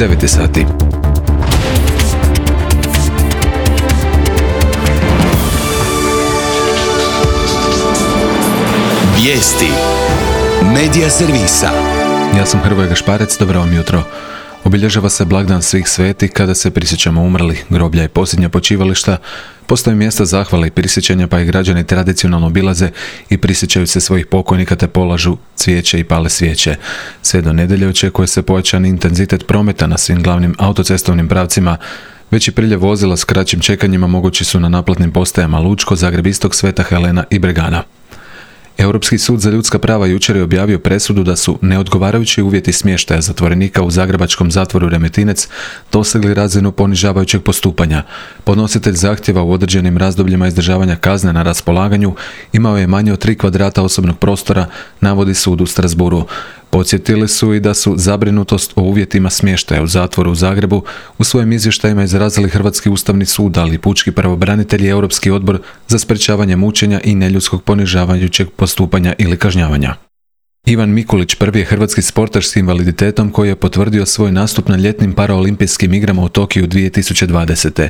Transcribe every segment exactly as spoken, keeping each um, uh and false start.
devet sati. Vijesti Medija servisa. Ja sam Hrvoje Gašparec, dobro vam jutro. Obilježava se blagdan svih svetih kada se prisjećamo umrlih, groblja i posljednja počivališta. Postoje mjesta zahvale i prisjećanja, pa i građani tradicionalno obilaze i prisjećaju se svojih pokojnika te polažu cvijeće i pale svijeće. Sve do nedjelje očekuje se pojačan intenzitet prometa na svim glavnim autocestovnim pravcima. Veći priljev vozila s kraćim čekanjima mogući su na naplatnim postajama Lučko, Zagreb Istok, Sveta Helena i Bregana. Europski sud za ljudska prava jučer je objavio presudu da su neodgovarajući uvjeti smještaja zatvorenika u zagrebačkom zatvoru Remetinec dosegli razinu ponižavajućeg postupanja. Podnositelj zahtjeva u određenim razdobljima izdržavanja kazne na raspolaganju imao je manje od tri kvadrata osobnog prostora, navodi sud u Strasbourgu. Podsjetili su i da su zabrinutost o uvjetima smještaja u zatvoru u Zagrebu u svojim izvještajima izrazili Hrvatski ustavni sud, ali i pučki pravobranitelj i Europski odbor za sprečavanje mučenja i neljudskog ponižavajućeg postupanja ili kažnjavanja. Ivan Mikulić prvi je hrvatski sportaš s invaliditetom koji je potvrdio svoj nastup na ljetnim paraolimpijskim igrama u Tokiju dvije tisuće dvadesete.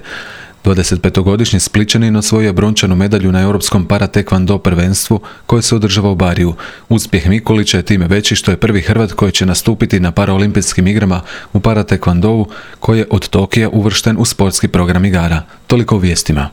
dvadesetpetogodišnji Splićanin osvojio je brončanu medalju na Europskom para-tekvando prvenstvu koje se održava u Bariju. Uspjeh Mikulića je time veći što je prvi Hrvat koji će nastupiti na paraolimpijskim igrama u para-tekvandovu koji je od Tokija uvršten u sportski program igara. Toliko u vijestima.